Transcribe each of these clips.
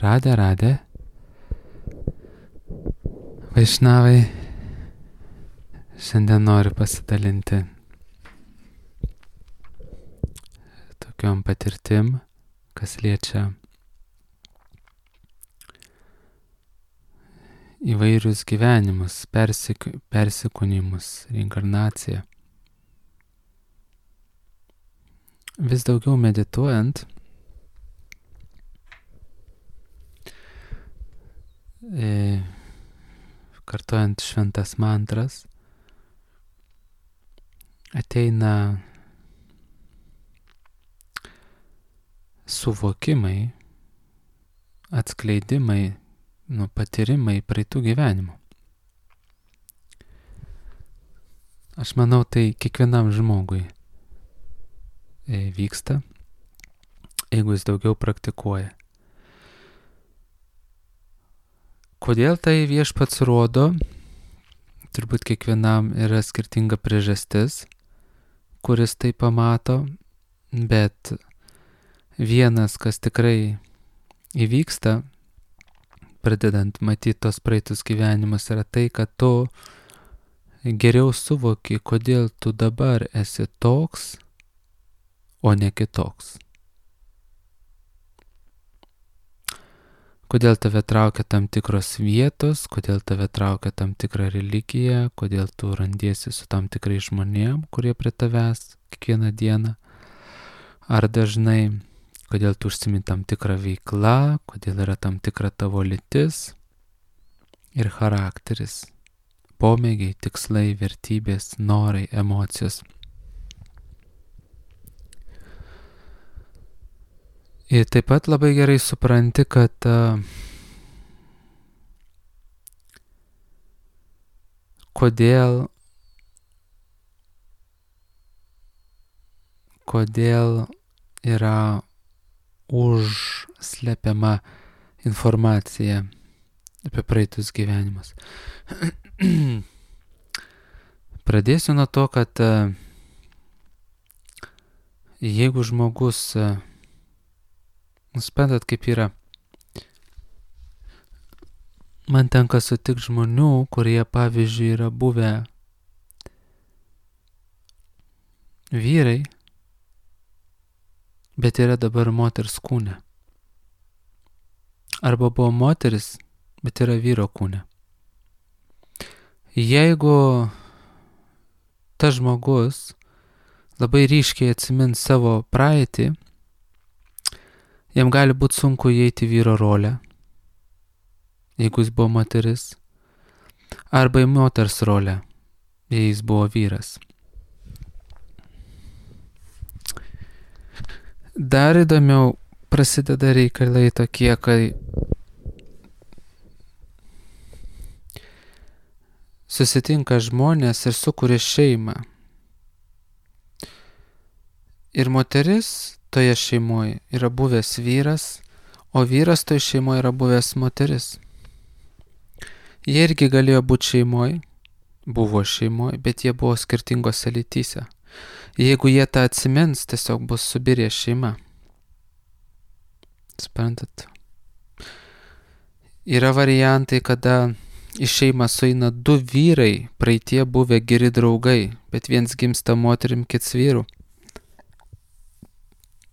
Radhe. Vaišnavai, šiandien noriu pasidalinti tokiom patirtim, kas liečia įvairius gyvenimus, persikūnimus, reinkarnaciją. Vis daugiau medituojant, kartojant šventas mantras, ateina suvokimai, atskleidimai, patyrimai praeitų gyvenimų. Aš manau, tai kiekvienam žmogui vyksta, jeigu jis daugiau praktikuoja. Kodėl tai viešpats rodo? Turbūt kiekvienam yra skirtinga priežastis, kuris tai pamato, bet vienas, kas tikrai įvyksta, pradedant matyti tos praeitus gyvenimus, yra tai, kad tu geriau suvoki, kodėl tu dabar esi toks, o ne kitoks. Kodėl tave traukia tam tikros vietos, kodėl tave traukia tam tikra religija, kodėl tu randiesi su tam tikrai žmonėm, kurie prie tavęs kiekvieną dieną, ar dažnai, kodėl tu užsimi tam tikrą veiklą, kodėl yra tam tikra tavo lytis ir charakteris, pomėgiai, tikslai, vertybės, norai, emocijos. Ir taip pat labai gerai supranti, kad kodėl yra užslepiama informacija apie praeitus gyvenimus. Pradėsiu nuo to, kad jeigu žmogus suprantat, kaip yra. Man tenka sutikti žmonių, kurie, pavyzdžiui, yra buvę vyrai, bet yra dabar moters kūne. Arba buvo moteris, bet yra vyro kūne. Jeigu tas žmogus labai ryškiai atsimins savo praeitį, jam gali būti sunku įeiti vyro rolę, jeigu jis buvo moteris, arba į moters rolę, jei jis buvo vyras. Dar įdomiau prasideda reikalai tokie, kai susitinka žmonės ir sukuria šeimą. Ir moteris toje šeimoje yra buvęs vyras, o vyras toje šeimoje yra buvęs moteris. Jie irgi galėjo būti šeimoje, buvo šeimoje, bet jie buvo skirtingose lytyse. Jeigu jie tą atsimins, tiesiog bus subirė šeima. Suprantat? Yra variantai, kada į šeimą sueina du vyrai, praeitie buvę geri draugai, bet viens gimsta moterim, kits vyru.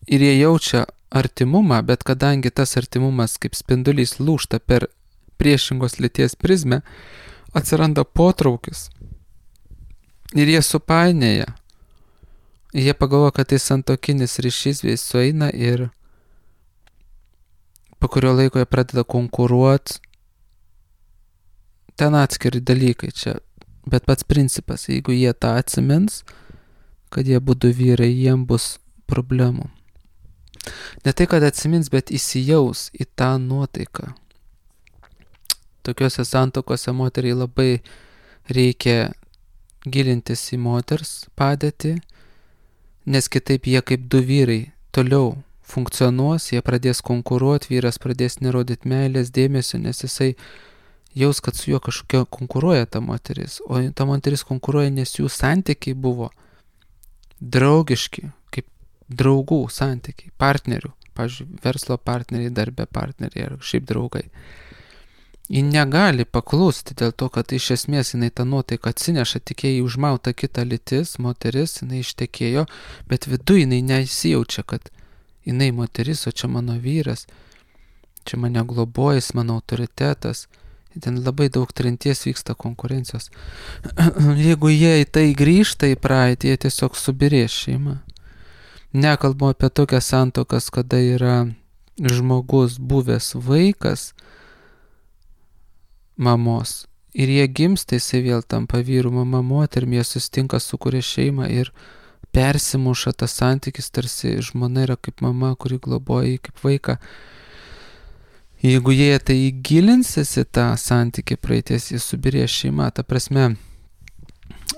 Ir jie jaučia artimumą, bet kadangi tas artimumas kaip spindulys lūžta per priešingos lyties prizmę, atsiranda potraukis. Ir jie supainėja. Jie pagalvoja, kad tai santuokinis ryšys, jie sueina ir po kurio laiko jie pradeda konkuruoti. Ten atskiri dalykai čia, bet pats principas, jeigu jie tą atsimins, kad jie būtų vyrai, jiem bus problemų. Ne tai, kad atsimins, bet įsijaus į tą nuotaiką. Tokiuose santuokose moteriai labai reikia gilintis į moters padėtį, nes kitaip jie kaip du vyrai toliau funkcionuos, jie pradės konkuruoti, vyras pradės nerodyti meilės, dėmesio, nes jisai jaus, kad su juo kažkokia konkuruoja ta moteris, o ta moteris konkuruoja, nes jų santykiai buvo draugiški, kaip draugų santykiai, partnerių pavyzdžiui, verslo partneriai, darbe partneriai ar šiaip draugai. Ji negali paklusti dėl to, kad iš esmės jinai tą nuotaiką atsineša, tik jai užmauta kita lytis, moteris, jinai ištekėjo, bet viduje jinai nesijaučia, kad jinai moteris, o čia mano vyras, čia mane globojais, mano autoritetas. Ten labai daug trinties vyksta konkurencijos. Jeigu jie į tai grįžta į praeitį, jie tiesiog subirės šeima. Nekalbu apie tokias santuokas, kada yra žmogus buvęs vaikas mamos ir jie gimsta, jisai vėl tampa vyru, mama moterim, jie susitinka, sukuria šeimą ir persimuša tas santykis, tarsi žmona yra kaip mama, kuri globoja jį kaip vaiką. Jeigu jie tai įgilinsis į tą santykį praeities, jie subirės šeima. Ta prasme,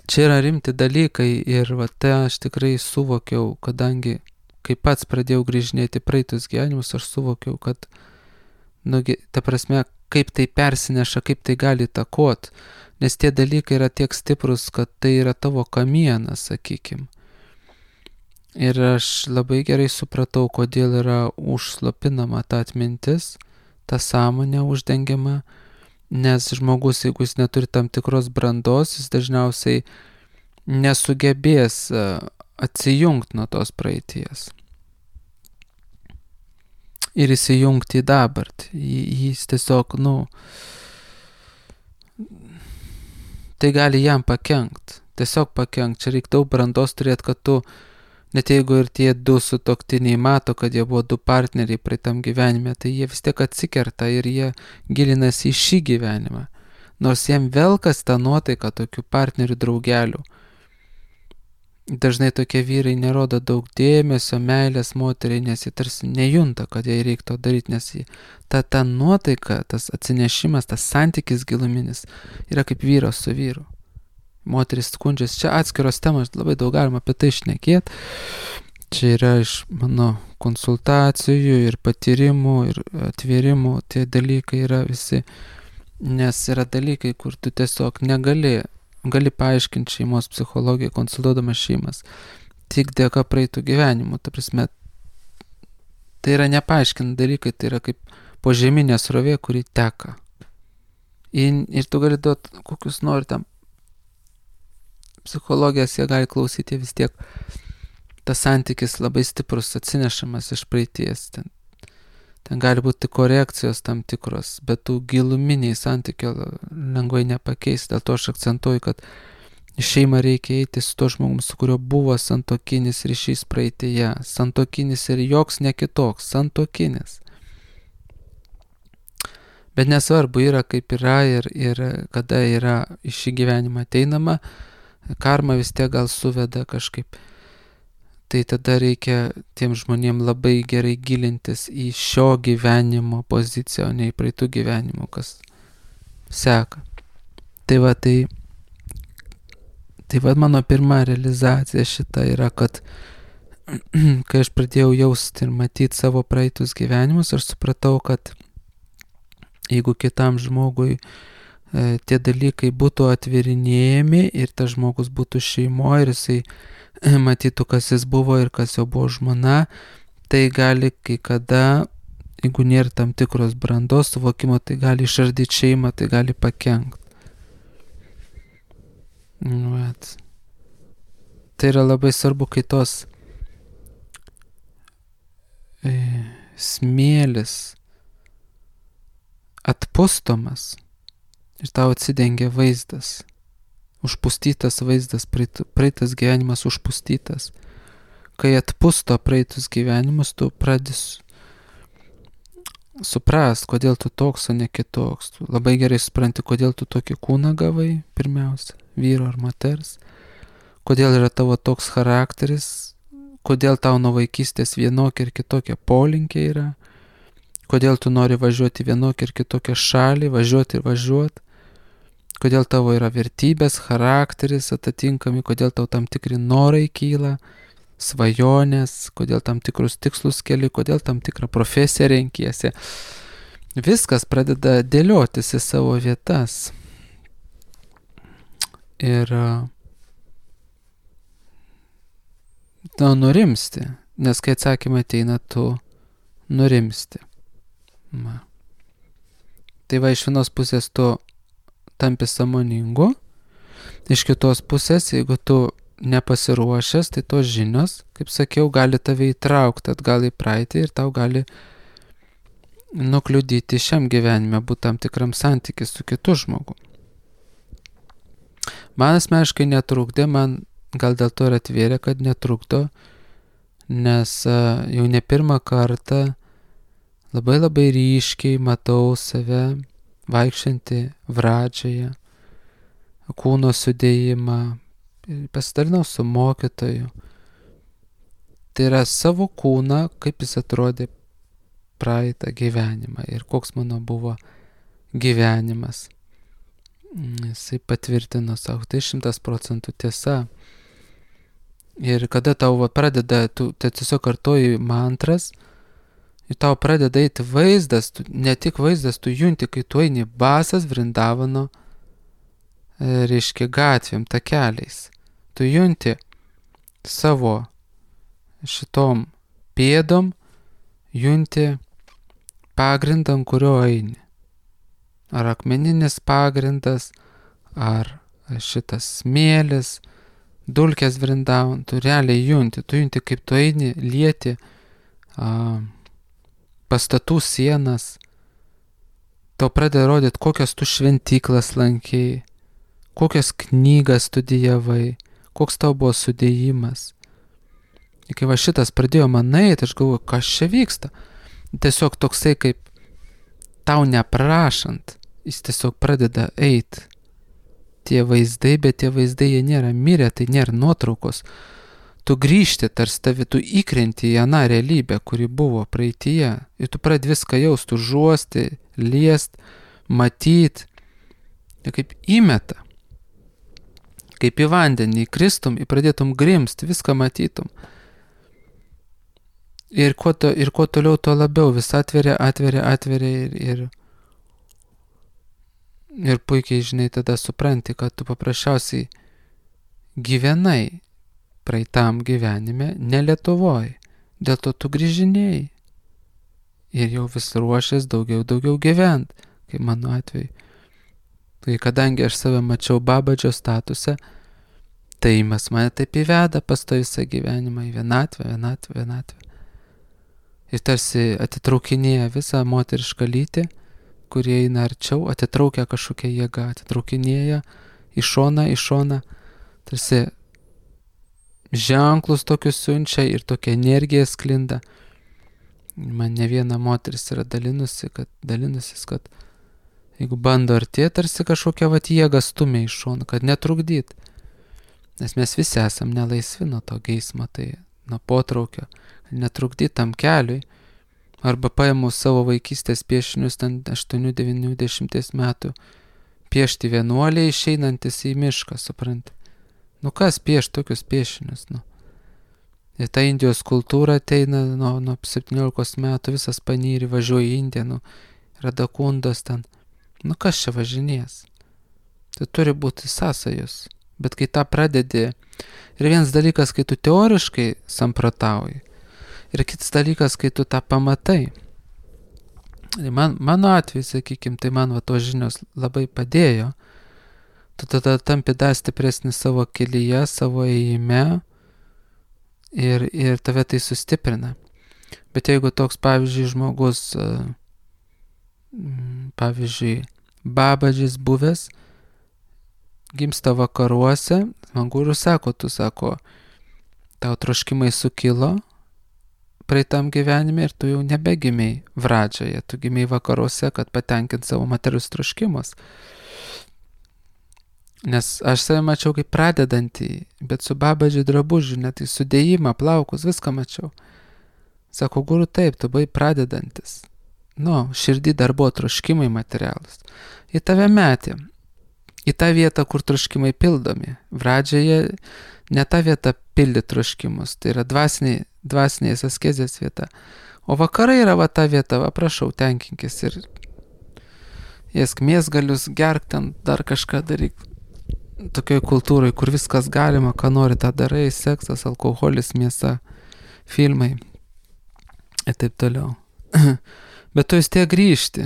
čia yra rimti dalykai ir tai aš tikrai suvokiau, kadangi kai pats pradėjau grįžinėti praeitus gyvenimus, aš suvokiau, kad, ta prasme, kaip tai persineša, kaip tai gali įtakot, nes tie dalykai yra tiek stiprus, kad tai yra tavo kamienas, sakykim. Ir aš labai gerai supratau, kodėl yra užslopinama ta atmintis, ta sąmonė uždengiama, nes žmogus, jeigu jis neturi tam tikros brandos, jis dažniausiai nesugebės atsijungti nuo tos praeities ir įsijungti į dabartį. Jis tiesiog, tai gali jam pakenkt, tiesiog pakenkt. Čia reikia daug brandos turėti, kad tu, net jeigu ir tie du sutuoktiniai mato, kad jie buvo du partneriai praeitam gyvenime, tai jie vis tiek atsikerta ir jie gilinasi į šį gyvenimą. Nors jiem velkas tą nuotaiką tokių partnerių draugelių. Dažnai tokie vyrai nerodo daug dėmesio, meilės moteriai, nes jie tarsi nejunta, kad jai reiktų daryti, nes ta nuotaika, tas atsinešimas, tas santykis giluminis yra kaip vyras su vyru. Moteris skundžiasi, čia atskiros temos, labai daug galima apie tai šnekėti. Čia yra iš mano konsultacijų ir patyrimų ir atvėrimų, tie dalykai yra visi, nes yra dalykai, kur tu tiesiog gali paaiškinti šeimos psichologiją, konsultuodamas šeimas, tik dėka praeitų gyvenimų. Ta prasme, tai yra nepaaiškinti dalykai, tai yra kaip požeminė srovė, kuri teka. Ir tu gali duoti kokius nori tam psichologijos, jie gali klausyti, vis tiek tas santykis labai stiprus atsinešamas iš praeities. Ten gali būti korekcijos tam tikros, bet tų giluminiai santykio lengvai nepakeis. Dėl to aš akcentuoju, kad į šeimą reikia eiti su to žmogum, su kurio buvo santuokinis ryšys praeitėje. Santuokinis ir joks ne kitoks, santuokinis. Bet nesvarbu yra kaip yra ir kada yra į šį gyvenimą ateinama, karma vis tiek gal suveda kažkaip. Tai tada reikia tiem žmonėm labai gerai gilintis į šio gyvenimo poziciją, o ne į praeitų gyvenimų, kas seka. Tai va mano pirma realizacija šita yra, kad kai aš pradėjau jausti ir matyti savo praeitus gyvenimus, aš supratau, kad jeigu kitam žmogui tie dalykai būtų atvirinėjami ir tas žmogus būtų šeimoje ir jisai matytų, kas jis buvo ir kas jo buvo žmona, tai gali kai kada, jeigu nėra tam tikros brandos suvokimo, tai gali išardyti šeimą, tai gali pakenkt. Tai yra labai svarbu, kai tos smėlis atpustomas ir tau atsidengia vaizdas, užpustytas vaizdas, praeitas gyvenimas užpustytas. Kai atpusto praeitus gyvenimus, tu pradės suprast, kodėl tu toks, o ne kitoks. Tu labai gerai supranti, kodėl tu tokį kūną gavai, pirmiausia, vyro ar moters, kodėl yra tavo toks charakteris, kodėl tau nuo vaikystės vienokia ir kitokia polinkiai yra, kodėl tu nori važiuoti vienokią ir kitokią šalį, važiuoti ir važiuoti, kodėl tavo yra vertybės, charakteris atitinkami, kodėl tau tam tikri norai kyla, svajonės, kodėl tam tikrus tikslus keli, kodėl tam tikrą profesiją renkiesi. Viskas pradeda dėliotis į savo vietas. Ir nurimsti, nes kai atsakymai ateina, tu nurimsti. Va. Tai va, iš vienos pusės tu tampi sąmoningu, iš kitos pusės, jeigu tu nepasiruošęs, tai tos žinios, kaip sakiau, gali tave įtraukti atgal į praeitį ir tau gali nukliudyti šiam gyvenime, būti tam tikram santykiui su kitu žmogu. Man asmeniškai netrukdė, man gal dėl to ir atvėrė, kad netrukdo, nes jau ne pirmą kartą labai ryškiai matau save vaikščiantį Vradžioje, kūno sudėjimą, pasidalinau su mokytoju. Tai yra savo kūną, kaip jis atrodė praeitą gyvenimą ir koks mano buvo gyvenimas. Jisai patvirtino savo, tai 100% tiesa. Ir kada tau pradeda, tu tiesiog kartoji mantras, ir tau pradeda eiti vaizdas, ne tik vaizdas, tu junti, kai tu eini basas Vrindavano, reiškia gatvėm, takeliais. Tu junti savo šitom pėdom, junti pagrindą, ant kurio eini. Ar akmeninis pagrindas, ar šitas smėlis, dulkės Vrindavan, tu realiai junti, kaip tu eini, lieti pastatų sienas, tau pradeda rodyti, kokias tu šventyklas lankėjai, kokias knygas studijavai, koks tau buvo sudėjimas. Ir kai va šitas pradėjo man eiti, aš galvoju, kas čia vyksta. Tiesiog toksai kaip tau neprašant, jis tiesiog pradeda eiti. Tie vaizdai, bet tie vaizdai jie nėra mirę, tai nėra nuotraukos. Tu grįžti tarsi tavi, tu įkrenti į aną realybę, kuri buvo praeityje. Ir tu pradedi viską jaust, užuosti, liest, matyt. Ir kaip įmeta. Kaip į vandenį įkristum, pradėtum grimsti, viską matytum. Ir kuo toliau, tuo labiau vis atveria ir puikiai, žinai, tada supranti, kad tu paprasčiausiai gyvenai praeitam gyvenime, ne Lietuvoj. Dėl to tu grįžinėjai. Ir jau vis ruošies daugiau gyvent, kaip mano atveju. Tai kadangi aš save mačiau Babadžio statuse, tai mes mane taip įveda pas to visą gyvenimą į vienatvę. Ir tarsi atitraukinėja visą moterišką lytį, kurie eina arčiau, atitraukia kažkokią jėgą, atitraukinėja į šoną, tarsi ženklus tokius siunčia ir tokia energija sklinda. Man ne viena moteris yra dalinusis, kad jeigu bando artėti, tarsi kažkokią jėgą stumia į šoną, kad netrukdyt. Nes mes visi esam nelaisvi nuo to geismo, tai nuo potraukio, netrukdyt tam keliui. Arba paėmų savo vaikystės piešinius, ten 8-9-10 metų, piešti vienuoliai išeinantis į mišką, supranti. Kas pieš tokius piešinius, Ir ta Indijos kultūra ateina nuo 17 metų, visas panyri važiuoja į Indiją, Radakundos ten. Kas čia važinės? Tai turi būti sąsajos. Bet kai tą pradedi, ir vienas dalykas, kai tu teoriškai samprotauji, ir kitas dalykas, kai tu tą pamatai. Mano atveju, sakykime, tai man tos žinios labai padėjo. Tu tada tampi dar stipresnis savo kelyje, savo ėjime ir tave tai sustiprina. Bet jeigu toks, pavyzdžiui, žmogus, pavyzdžiui, Babadžis buvęs, gimsta vakaruose, man guru sako, tau troškimai sukilo praeitam gyvenime ir tu jau nebegimiai Vradžioje, tu gimiai vakaruose, kad patenkint savo materialius troškimus. Nes aš save mačiau kaip pradedantį, bet su Babadžiu drabužiu, net į sudėjimą, plaukus, viską mačiau. Sako, guru, taip, tu buvai pradedantis. Širdį dar buvo troškimai materialus. Į tave metė. Į tą vietą, kur troškimai pildomi. Vradžioje ne ta vieta pildyti troškimus, tai yra dvasinės askezės vieta. O vakarai yra ta vieta, prašau, tenkinkis ir ėsk mėsgalius, gerk ten, dar kažką daryk. Tokioj kultūrai, kur viskas galima, ką nori, tą darai, seksas, alkoholis, mėsa, filmai ir taip toliau. Bet tu vis tiek grįžti,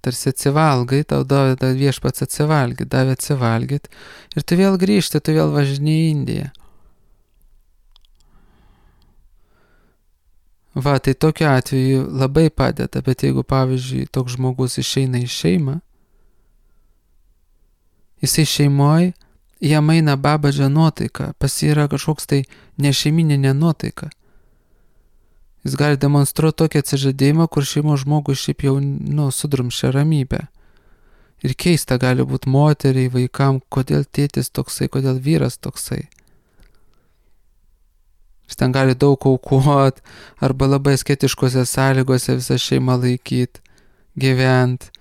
tarsi atsivalgai, tau davė viešpats atsivalgyti, davė atsivalgyti ir tu vėl grįžti, tu vėl važinėjai į Indiją. Va, tai tokiu atveju labai padeda, bet jeigu, pavyzdžiui, toks žmogus išeina į šeimą, jisai šeimoje, jam eina babadžio nuotaika, pas jį yra kažkoks tai nešeimininė nuotaika. Jis gali demonstruoti tokį atsižadėjimą, kur šeimos žmogus šiaip jau, sudrumšia ramybę. Ir keista gali būti moteriai, vaikam, kodėl tėtis toksai, kodėl vyras toksai. Jis ten gali daug aukoti, arba labai asketiškose sąlygose visą šeimą laikyti, gyventi,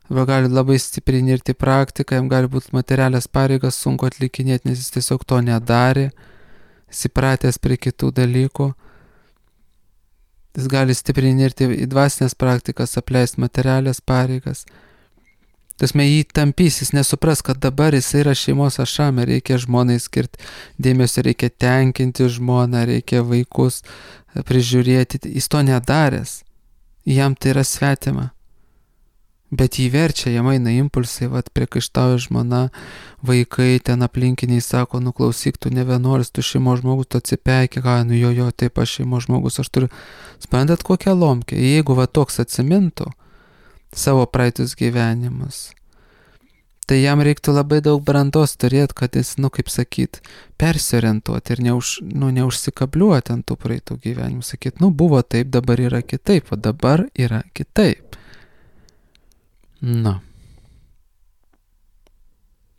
arba gali labai stipriai nirti praktiką, jam gali būti materialias pareigas sunku atlikinėti, nes jis tiesiog to nedarė, jis įpratęs prie kitų dalykų. Jis gali stipriai nirti į dvasinės praktikas, apleisti materialias pareigas. Tasme jį tampys, jis nesupras, kad dabar jis yra šeimos ašame, reikia žmonai skirti dėmesio, reikia tenkinti žmoną, reikia vaikus prižiūrėti. Jis to nedaręs, jam tai yra svetima. Bet jį verčia, jam eina impulsai, priekaištauja žmona, vaikai, ten aplinkiniai sako, klausyk, tu ne vienuolis, tu šeimos žmogus, tu atsipeiki, jo, taip aš šeimos žmogus, aš turiu. Sprendat kokią lomkę, jeigu toks atsimintų savo praeitus gyvenimus, tai jam reiktų labai daug brandos turėti, kad jis, kaip sakyt, persiorientuoti ir neužsikabliuoti ant tų praeitų gyvenimų, sakyt, buvo taip, dabar yra kitaip, o dabar yra kitaip.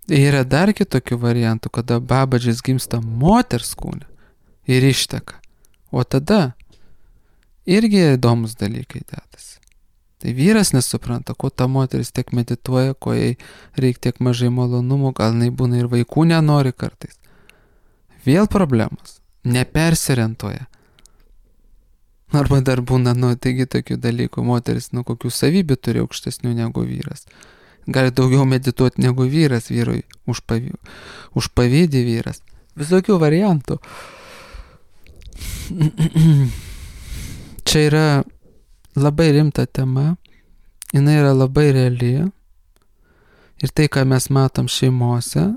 Yra dar kitokių variantų, kada babadžis gimsta moters kūne ir išteka, o tada irgi įdomus dalykai dedasi. Tai vyras nesupranta, ko ta moteris tiek medituoja, ko jai reikia tiek mažai malonumų, gal jinai būna ir vaikų nenori kartais. Vėl problemos, nepersiorientuoja. Arba dar būna, taigi tokių dalykų, moteris, kokių savybių turi aukštesnių negu vyras. Gali daugiau medituoti negu vyras, vyrui užpavydį vyras. Visokių variantų. Čia yra labai rimta tema, jinai yra labai reali ir tai, ką mes matom šeimose,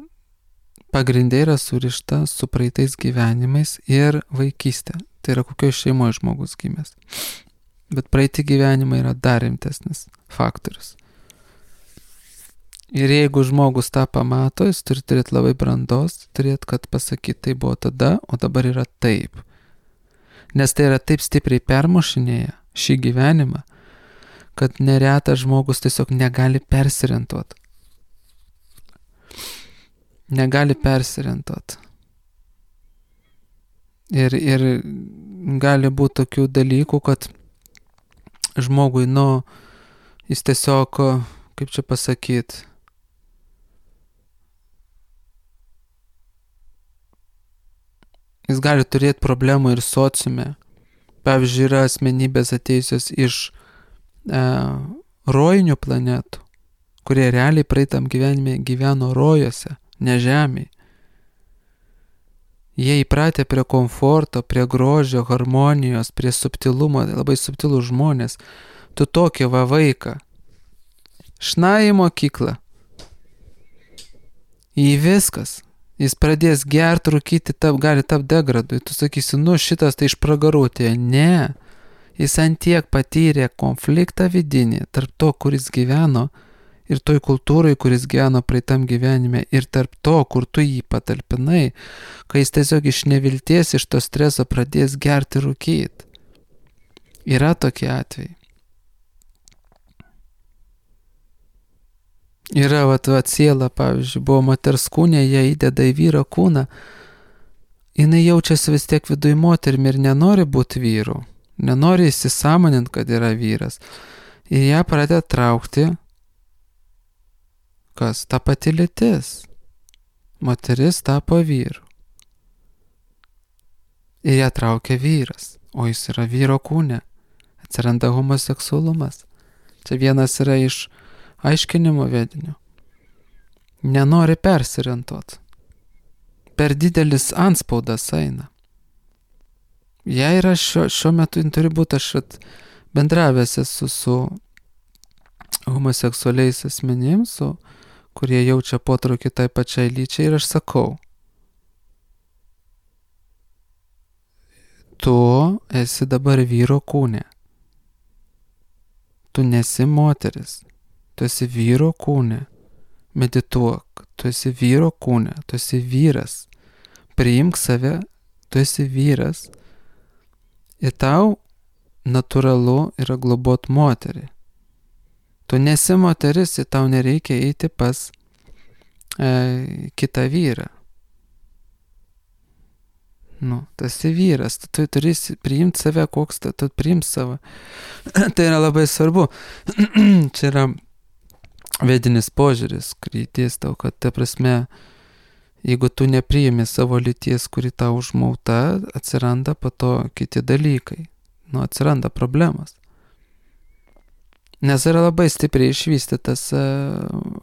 pagrindai yra surišta su praeitais gyvenimais ir vaikystė. Tai yra kokioje šeimoje žmogus gimęs. Bet praeiti gyvenimai yra dar rimtesnis faktorius. Ir jeigu žmogus tą pamato, jis turi turėti labai brandos, turėti, kad pasakyti, tai buvo tada, o dabar yra taip. Nes tai yra taip stipriai permušinėję šį gyvenimą, kad neretas žmogus tiesiog negali persiorientuoti. Negali persiorientuoti. Ir gali būti tokių dalykų, kad žmogui, jis tiesiog, kaip čia pasakyti, jis gali turėti problemų ir sociume. Pavyzdžiui, yra asmenybės atėjusios iš rojinių planetų, kurie realiai praeitam gyvenime gyveno rojuose, ne žemėje. Jie įpratę prie komforto, prie grožio, harmonijos, prie subtilumo, labai subtilų žmonės. Tu tokį vaiką. Šnai į mokyklą. Į viskas. Jis pradės gerti, rūkyti, gali tapti degradui. Tu sakysi, šitas tai iš pragarų atėjo. Ne. Jis antiek patyrė konfliktą vidinį tarp to, kuris gyveno, ir toj kultūrai, kuris gyveno praeitam gyvenime, ir tarp to, kur tu jį patalpinai, kai jis tiesiog iš nevilties, iš to streso pradės gerti, rūkyti. Yra tokie atvejai. Yra, siela, pavyzdžiui, buvo moters kūne, jie įdeda į vyro kūną, jinai jaučiasi vis tiek viduj moterimi ir nenori būti vyru, nenori įsisąmoninti, kad yra vyras. Ir ją pradeda traukti, kas? Ta pati lytis. Moteris tapo vyru. Ir ją traukia vyras, o jis yra vyro kūne. Atsiranda homoseksualumas. Čia vienas yra iš aiškinimo vedinių. Nenori persiorientuoti. Per didelis antspaudas eina. Jei yra šiuo metu turi būti, aš bendravęs esu su homoseksualiais asmenims, kurie jaučia potraukį tai pačiai lyčiai, ir aš sakau, tu esi dabar vyro kūne. Tu nesi moteris, tu esi vyro kūne. Medituok, tu esi vyro kūne, tu esi vyras. Priimk save, tu esi vyras. Ir tau natūralu yra globot moterį. Tu nesi moteris ir tau nereikia eiti pas kitą vyrą. Tu esi vyras, tu turi priimti save, koks tu priimti savo. Tai yra labai svarbu. Čia yra vedinis požiūris, kurį dėstau, kad ta prasme, jeigu tu nepriimi savo lyties, kuri tau užmauta, atsiranda po to kiti dalykai. Atsiranda problemas. Nes yra labai stipriai išvystytas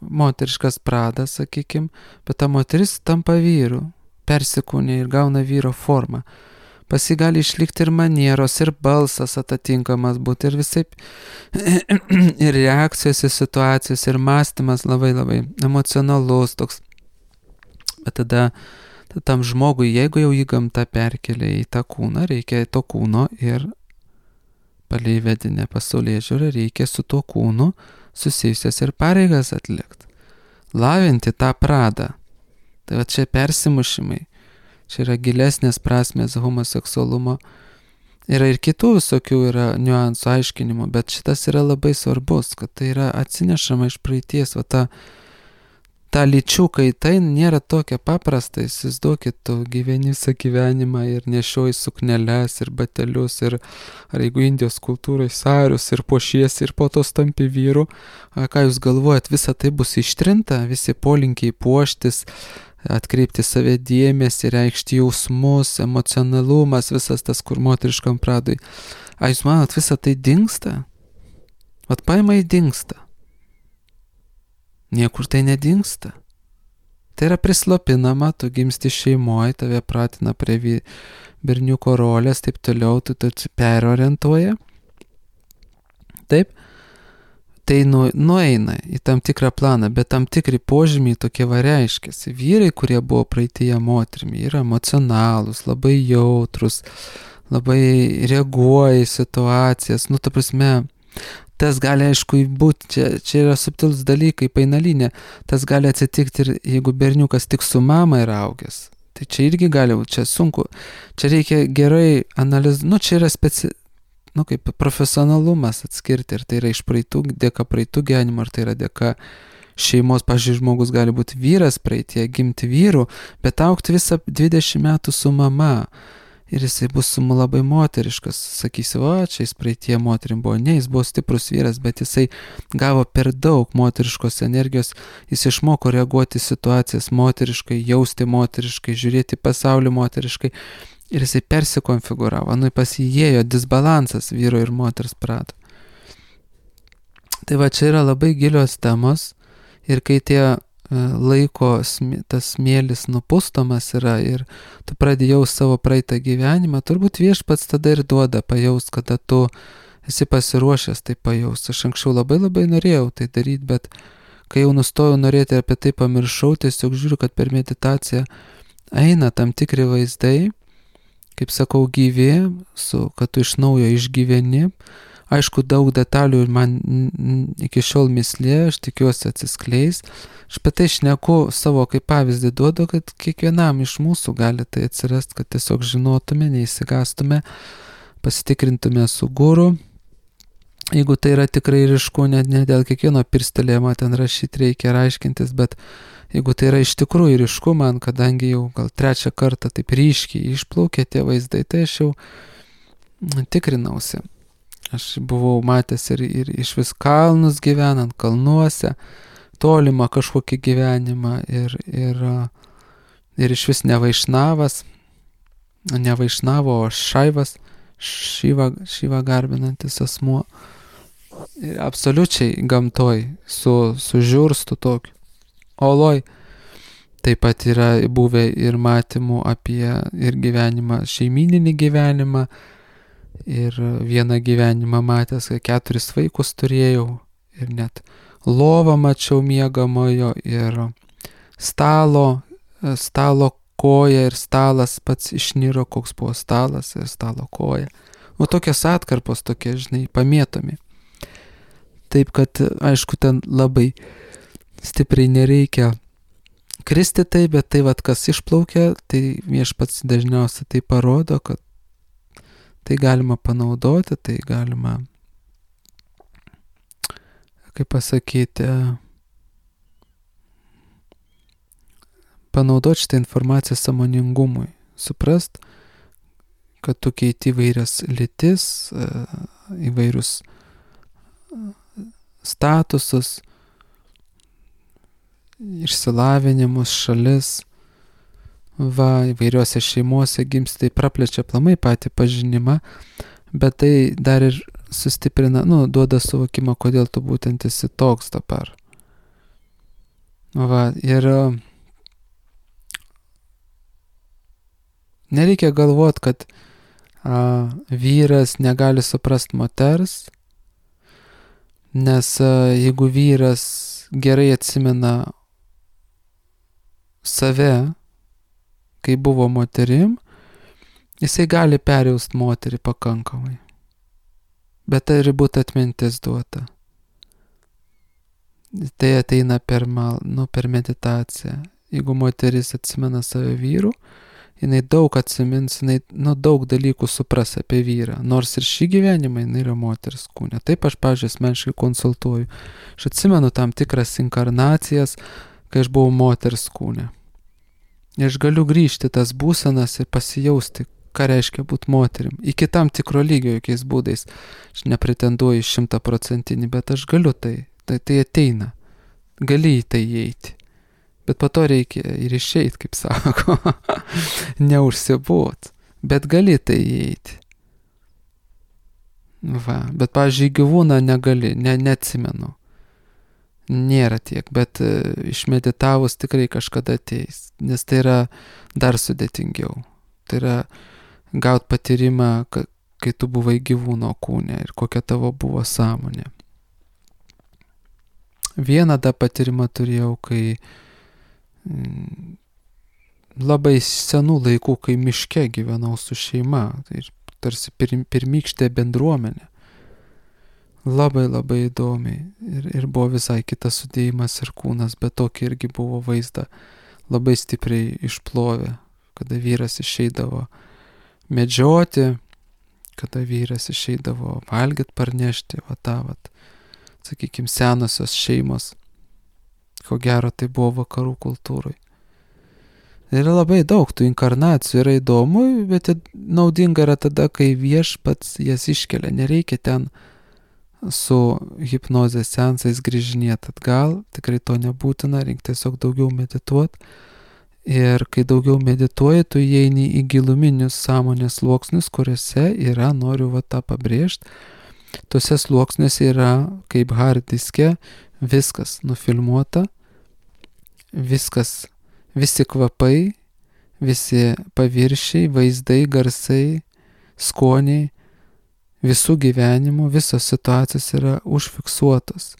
moteriškas pradas, sakykim, bet ta moteris tampa vyru, persikūnė ir gauna vyro formą. Pas jį gali išlikti ir manieros, ir balsas atitinkamas būti, ir visaip, ir reakcijos į situacijos, ir mąstymas labai labai emocionalus toks. Bet tada tam žmogui, jeigu jau į gamtą perkelia į tą kūną, reikia to kūno ir palei vedinę pasaulėžiūrą reikia su tuo kūnu susijusias ir pareigas atlikti. Lavinti tą pradą. Tai va čia persimušimai. Čia yra gilesnės prasmės homoseksualumo. Yra ir kitų visokių yra niuansų aiškinimų, bet šitas yra labai svarbus, kad tai yra atsinešama iš praeities. Va ta lyčių kaita nėra tokia paprasta. Įsivaizduokit, tu gyveni visą gyvenimą ir nešioji sukneles ir batelius ir ar jeigu Indijos kultūrai sarius ir puošiesi ir po to tampi vyru. Ką jūs galvojat, visa tai bus ištrinta, visi polinkiai puoštis, atkreipti save dėmesį, reikšti jausmus, emocionalumas, visas tas, kur moteriškam pradui. Jūs manot, visa tai dingsta? Vat paima į dingsta. Niekur tai nedingsta. Tai yra prislopinama, tu gimsti šeimoje, tave pratina prie berniuko rolės, taip toliau, tu perorientuoja. Taip, tai nueina į tam tikrą planą, bet tam tikri požymiai tokie reiškiasi. Vyrai, kurie buvo praeityje moterimi, yra emocionalūs, labai jautrus, labai reaguoja į situacijas, ta prasme, tas gali, aišku, būti, čia yra subtilus dalykai, painalinė, tas gali atsitikti ir jeigu berniukas tik su mama yra augęs. Tai čia irgi gali būti, čia sunku. Čia reikia gerai analizuoti, čia yra kaip profesionalumas atskirti, ir tai yra iš dėka praeitų gyvenimo, ar tai yra dėka šeimos. Pavyzdžiui, žmogus gali būti vyras praeitie, gimti vyru, bet augti visą 20 metų su mama. Ir jisai bus labai moteriškas, sakysi, čia jis praeitie moterim buvo. Ne, jis buvo stiprus vyras, bet jisai gavo per daug moteriškos energijos, jis išmoko reaguoti situacijas moteriškai, jausti moteriškai, žiūrėti pasaulį moteriškai. Ir jisai persikonfiguravo, pas jį įėjo disbalansas vyro ir moters prato. Tai va, čia yra labai gilios temos, ir kai tie laiko tas smėlis nupustomas yra ir tu pradedi jaust savo praeitą gyvenimą, turbūt viešpats tada ir duoda pajaust, kada tu esi pasiruošęs tai pajaust. Aš anksčiau labai labai norėjau tai daryti, bet kai jau nustojau norėti apie tai pamiršau, tiesiog žiūriu, kad per meditaciją eina tam tikri vaizdai, kaip sakau, gyvi, kad tu iš naujo išgyveni. Aišku, daug detalių man iki šiol mislė, aš tikiuosi atsiskleis. Aš apie tai šneku savo kaip pavyzdį duodu, kad kiekvienam iš mūsų gali tai atsirasti, kad tiesiog žinotume, neįsigastume, pasitikrintume su guru. Jeigu tai yra tikrai ryšku, ne dėl kiekvieno pirstelėjimo ten rašyti reikia aiškintis, bet jeigu tai yra iš tikrųjų ryšku man, kadangi jau gal 3 kartą taip ryškiai išplaukė tie vaizdai, tai aš jau tikrinausi. Aš buvau matęs ir iš vis kalnus gyvenant, kalnuose, tolimą kažkokį gyvenimą ir iš vis ne Vaišnavas, o Šaivas, Šyvą garbinantis asmuo. Ir absoliučiai gamtoj, su žiurstu tokiu. Oloj. Taip pat yra buvę ir matymų apie ir gyvenimą, šeimyninį gyvenimą, ir vieną gyvenimą matęs, kai 4 vaikus turėjau ir net lovą mačiau miegamojo ir stalo koja ir stalas pats išniro, koks buvo stalas ir stalo koja. O tokios atkarpos, tokie, žinai, pamėtomi. Taip kad, aišku, ten labai stipriai nereikia kristi tai, bet tai, kas išplaukia, tai viešpats dažniausiai tai parodo, kad tai galima panaudoti, tai galima, kaip pasakyti, panaudoti šitą informaciją sąmoningumui. Suprast, kad tu keiti įvairias lytis, įvairius statusus, išsilavinimus, šalis, įvairiuose šeimuose gimsti, tai praplečia aplamai patį pažinimą, bet tai dar ir sustiprina, duoda suvokimą, kodėl tu būtent esi toks dabar. Ir nereikia galvoti, kad vyras negali suprast moters, nes jeigu vyras gerai atsimena save, kai buvo moterim, jisai gali perjaust moterį pakankamai. Bet tai turi būti atmintis duota. Tai ateina per meditaciją. Jeigu moteris atsimena save vyrų, jinai daug atsimins, jinai daug dalykų supras apie vyrą. Nors ir šį gyvenimą jinai yra moters kūne. Taip aš, pavyzdžiui, asmeniškai konsultuoju. Aš atsimenu tam tikras inkarnacijas, kai aš buvau moters kūne. Ir aš galiu grįžti tas būsenas ir pasijausti, ką reiškia būti moterim. Iki tam tikro lygio, jokiais būdais. Aš nepretenduoju 100%, bet aš galiu tai. Tai ateina. Gali į tai įeiti. Bet po to reikia ir išeit, kaip sako. Neužsibūt. Bet gali tai įeiti. Bet, pavyzdžiui, gyvūną negali, neatsimenu. Nėra tiek, bet išmeditavus tikrai kažkada ateis. Nes tai yra dar sudėtingiau. Tai yra gaut patyrimą, kai tu buvai gyvūno kūne ir kokia tavo buvo sąmonė. Vieną tą patyrimą turėjau, kai labai senų laikų, kai miške gyvenau su šeima, tai tarsi pirmykštė bendruomenė. Labai įdomiai ir buvo visai kitas sudėjimas ir kūnas, bet tokį irgi buvo vaizdą labai stipriai išplovę, kada vyras išeidavo medžioti, kada vyras išeidavo valgyt parnešti, sakykime, senosios šeimos. Ko gero, tai buvo vakarų kultūrai. Yra labai daug tų inkarnacijų, yra įdomu, bet naudinga yra tada, kai viešpats jas iškelia. Nereikia ten su hipnozės seansais grįžinėti atgal, tikrai to nebūtina, reikia tiesiog daugiau medituoti. Ir kai daugiau medituoji, tu įeini į giluminius sąmonės sluoksnius, kuriuose yra, noriu tą pabrėžti, tuose sluoksniuose yra, kaip hard diske, viskas nufilmuota, viskas, visi kvapai, visi paviršiai, vaizdai, garsai, skoniai, visų gyvenimų, visos situacijos yra užfiksuotos.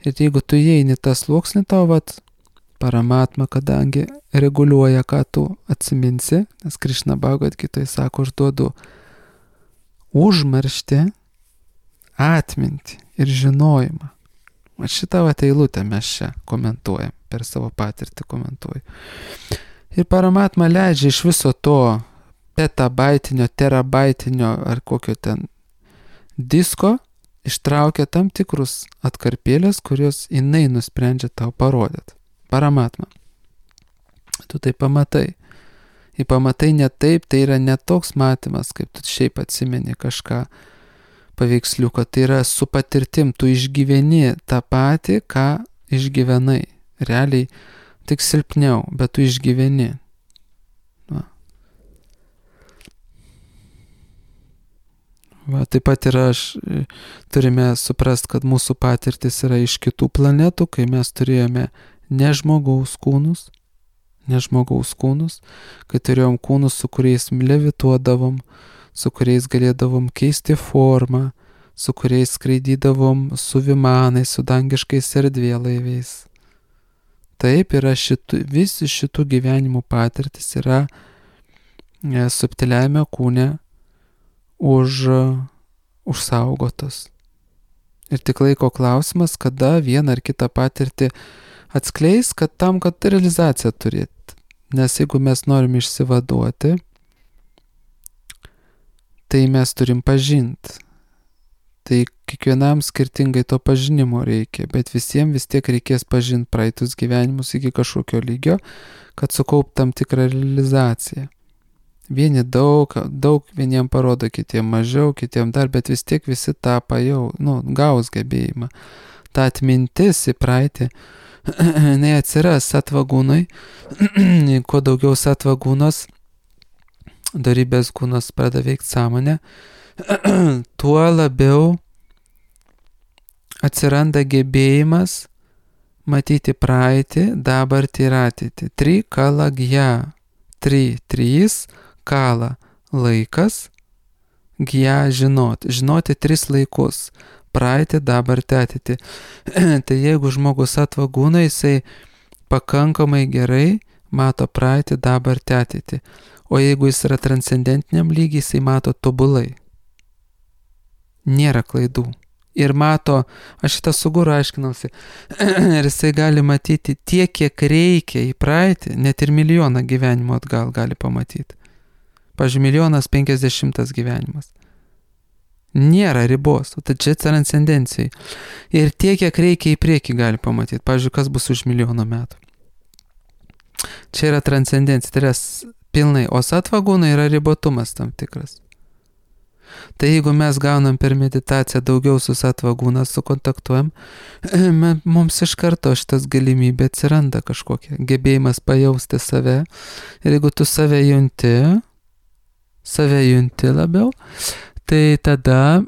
Ir jeigu tu įeini tą sluoksnį, tau Paramatma, kadangi reguliuoja, ką tu atsiminsi, nes Krišna Bhagavad Gitoje sako, aš duodu užmarštį, atmintį ir žinojimą. Šitą eilutę mes čia komentuojam, per savo patirtį komentuoju. Ir Paramatma leidžia iš viso to petabaitinio, terabaitinio ar kokio ten disko, ištraukia tam tikrus atkarpėlės, kurios jinai nusprendžia tau parodyti. Paramatma. Tu tai pamatai. Į pamatai ne taip, tai yra ne toks matymas, kaip tu šiaip atsimeni kažką paveiksliuką. Tai yra su patirtim, tu išgyveni tą patį, ką išgyvenai. Realiai tik silpniau, bet tu išgyveni. Taip pat ir turime suprast, kad mūsų patirtis yra iš kitų planetų, kai mes turėjome ne žmogaus kūnus, kai turėjom kūnus, su kuriais levituodavom, su kuriais galėdavom keisti formą, su kuriais skraidydavom su vimanais, su dangiškais erdvėlaiviais. Taip yra visi šitų gyvenimų patirtis yra subtiliajame kūne užsaugotos. Ir tik laiko klausimas, kada vieną ar kitą patirtį atskleis, kad realizaciją turėt. Nes jeigu mes norim išsivaduoti, tai mes turim pažinti. Tai kiekvienam skirtingai to pažinimo reikia, bet visiems vis tiek reikės pažinti praeitus gyvenimus iki kažkokio lygio, kad sukaupt tam tikrą realizaciją. Vieni daug vieniem parodo, kitiem mažiau, kitiem dar, bet vis tiek visi tą gaus gebėjimą. Ta atmintis į praeitį, atsiras satvagūnai, kuo daugiau satvagūnos, dorybės kūnas pradeda veikti sąmonę, tuo labiau atsiranda gebėjimas matyti praeitį, dabartį ir ateitį. Trikalagya. Trys kala laikas, gya žinoti 3 laikus. Praeitį, dabartį, ateitį. Tai jeigu žmogus satvagūna, jisai pakankamai gerai mato praeitį, dabartį, ateitį. O jeigu jis yra transcendentiniam lygiai, jisai mato tobulai. Nėra klaidų. Ir mato, aš šitą su guru aiškinausi, ir jisai gali matyti tiek, kiek reikia į praeitį, net ir 1 gyvenimo atgal gali pamatyti. Pavyzdžiui, 1,50 gyvenimas. Nėra ribos, tai čia transcendencijai. Ir tiek, kiek reikia į priekį gali pamatyti. Pavyzdžiui, kas bus už 1 metų. Čia yra transcendencija, tai yra pilnai, o satvagūna yra ribotumas tam tikras. Tai jeigu mes gaunam per meditaciją daugiau su satvagūna, sukontaktuojam, mums iš karto šitas galimybė atsiranda kažkokia, gebėjimas pajausti save. Ir jeigu tu save junti labiau, tai tada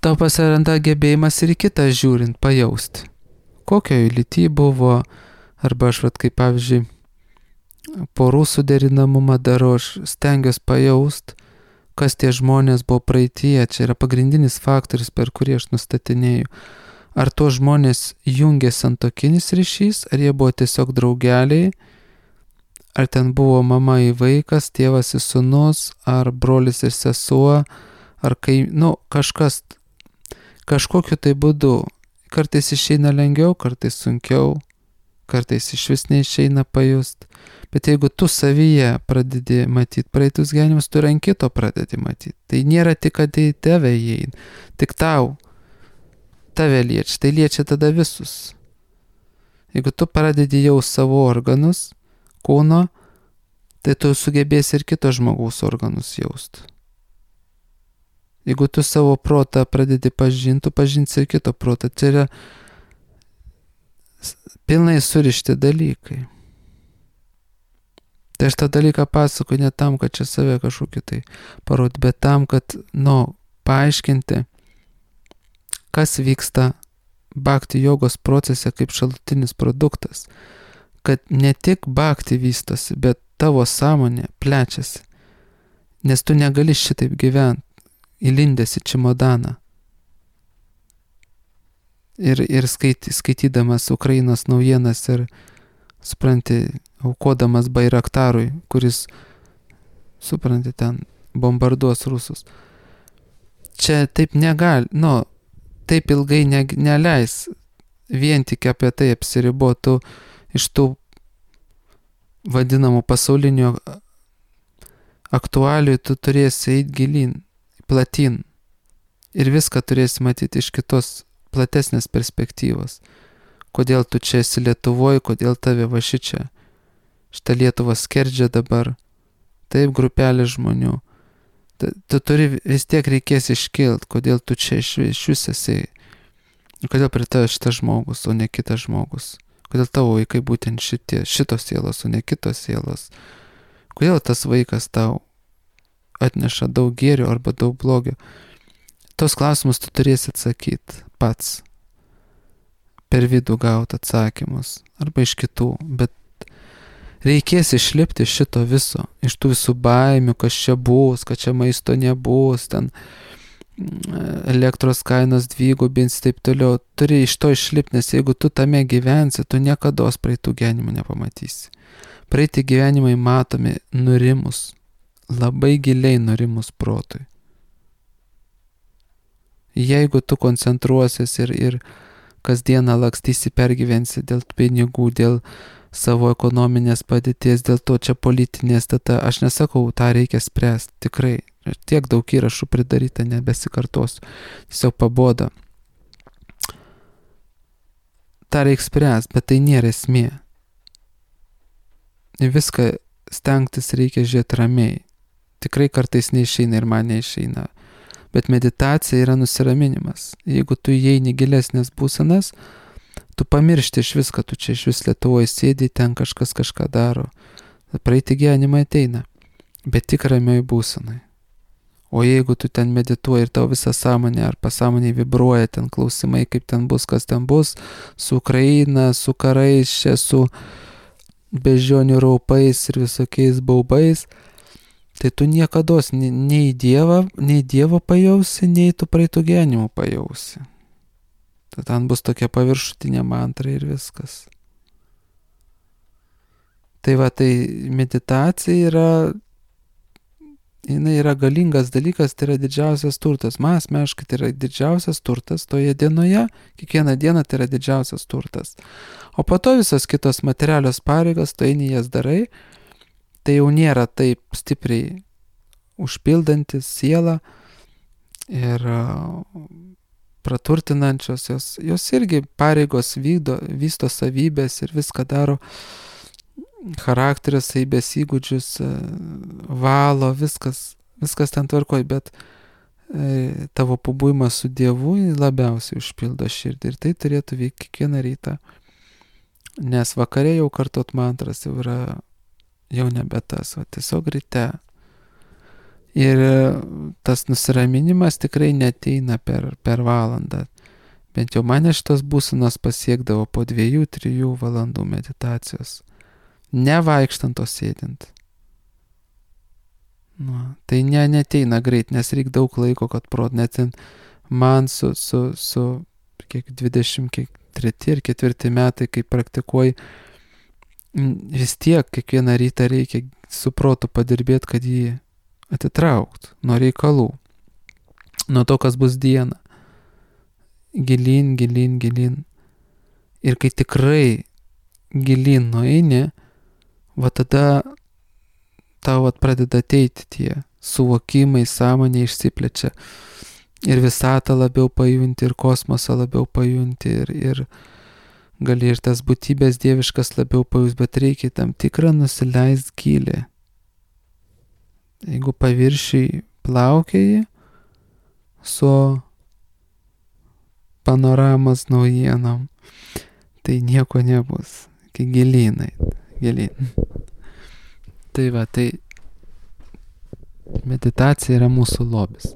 tau pasiranda gebėjimas ir į kitą žiūrint, pajausti. Kokio lyty buvo, arba aš kaip pavyzdžiui, porų suderinamumą darau, aš stengiuosi pajausti, kas tie žmonės buvo praeityje, čia yra pagrindinis faktorius, per kurį aš nustatinėju. Ar to žmonės jungė santuokinis ryšys, ar jie buvo tiesiog draugeliai, ar ten buvo mama į vaikas, tėvas į sūnus, ar brolis ir sesuo, ar kažkas, kažkokiu tai būdu. Kartais išeina lengviau, kartais sunkiau, kartais iš vis neišeina pajust. Bet jeigu tu savyje pradedi matyti praeitus gyvenimus, tu ant kito pradedi matyti. Tai nėra tik, kad į tave įeina, tik tave liečia, tai liečia tada visus. Jeigu tu pradedi jau savo organus, kūno, tai tu sugebėsi ir kito žmogaus organus jausti. Jeigu tu savo protą pradedi pažinti, tu pažinsi ir kito protą. Tai yra pilnai surišti dalykai. Tai aš tą dalyką pasakoju ne tam, kad čia save kažkokį tai parodyti, bet tam, kad, paaiškinti, kas vyksta bhakti jogos procese kaip šalutinis produktas. Kad ne tik bhakti vystosi, bet tavo sąmonė plečiasi. Nes tu negali šitaip gyventi, įlindęs į čimodaną. Ir skaitydamas Ukrainos naujienas ir, supranti, aukodamas Bairaktarui, kuris, supranti, ten bombarduos rusus. Čia taip negali, taip ilgai neleis vien tik apie tai apsiribotų iš tų vadinamų pasaulinių aktualijų, tu turėsi eiti gilin, platin. Ir viską turėsi matyti iš kitos platesnės perspektyvos. Kodėl tu čia esi Lietuvoje, kodėl tave va šičia. Šitą Lietuvą skerdžia dabar. Taip, grupelė žmonių. Tu turi vis tiek reikės iškilt, kodėl tu čia iš vis esi. Kodėl prie tavęs šitas žmogus, o ne kitas žmogus. Kodėl tavo vaikai būtent šitos sielos, o ne kitos sielos. Kodėl tas vaikas tau atneša daug gėrio arba daug blogio. Tos klausimus tu turėsi atsakyti pats. Per vidų gauti atsakymus. Arba iš kitų. Bet reikės išlipti šito viso, iš tų visų baimių, kas čia bus, kad čia maisto nebus, ten elektros kainos dvigubins, taip toliau. Turi iš to išlipti, nes jeigu tu tame gyvensi, tu niekados praeitų gyvenimų nepamatysi. Praeiti gyvenimai matomi nurimus, labai giliai nurimus protui. Jeigu tu koncentruosies ir kasdieną lakstysi, pergyvensi dėl pinigų, dėl savo ekonominės padėties, dėl to čia politinės, tada aš nesakau, tą reikia spręsti, tikrai. Tiek daug įrašų pridaryta, nebesikartosiu. Tiesiog paboda. tą reikia spręsti, bet tai nėra esmė. Į viską stengtis reikia žiūrėti ramiai. Tikrai kartais neišeina ir man neišeina. Bet meditacija yra nusiraminimas. Jeigu tu įeini gilesnės būsenas, tu pamiršti iš viską, tu čia iš vis Lietuvoje sėdi, ten kažkas kažką daro. Praeiti gyvenimą ateina, bet tik ramioj būsenai. O jeigu tu ten medituoji ir tau visą sąmonę ar pasąmonė vibruoja ten klausimai, kaip ten bus, kas ten bus, su Ukraina, su karais, čia su beždžionių raupais ir visokiais baubais, tai tu niekados nei Dievo pajausi, nei tu praeitų gyvenimų pajausi. Tai ten bus tokia paviršutinė mantra ir viskas. Tai va, tai meditacija jinai yra galingas dalykas, tai yra didžiausias turtas. Man asmeniškai tai yra didžiausias turtas toje dienoje, kiekvieną dieną tai yra didžiausias turtas. O po to visos kitos materialios pareigos, tu eini jas darai, tai jau nėra taip stipriai užpildantis sielą ir praturtinančios, jos irgi pareigos vysto savybės ir viską daro, charakterio savybės įgūdžius, valo, viskas ten tvarkoj, bet tavo pabuvimas su Dievu labiausiai užpildo širdį ir tai turėtų veikti kiekvieną rytą, nes vakare jau kartot mantras jau yra jau nebe tas, o tiesiog ryte. Ir tas nusiraminimas tikrai neteina per valandą. Bent jau mane šitos būsenos pasiekdavo po 2-3 valandų meditacijos. Nevaikštant o sėdint. Tai neteina greit, nes reikia daug laiko, kad net man su kiek 23 ir 4 metai, kai praktikuoju, vis tiek kiekvieną rytą reikia su protu padirbėti, kad jį atitraukt nuo reikalų, nuo to, kas bus dieną. Gilin. Ir kai tikrai gilin nueini, va tada tau pradeda ateiti tie suvokimai, sąmonė išsiplečia ir visatą labiau pajunti, ir kosmosą labiau pajunti, ir gali ir tas būtybės dieviškas labiau pajus, bet reikia tam tikrą nusileist gilį. Jeigu paviršiai plaukėji su panoramos naujienom, tai nieko nebus. Kai gilin. Tai va, tai meditacija yra mūsų lobis.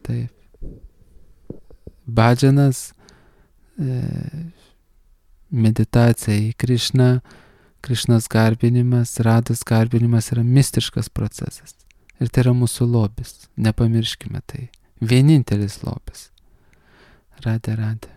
Taip. Bhajanas, meditacija į Krišną, Krišnos garbinimas, Rados garbinimas yra mistiškas procesas. Ir tai yra mūsų lobis. Nepamirškime tai. Vienintelis lobis. Radhe.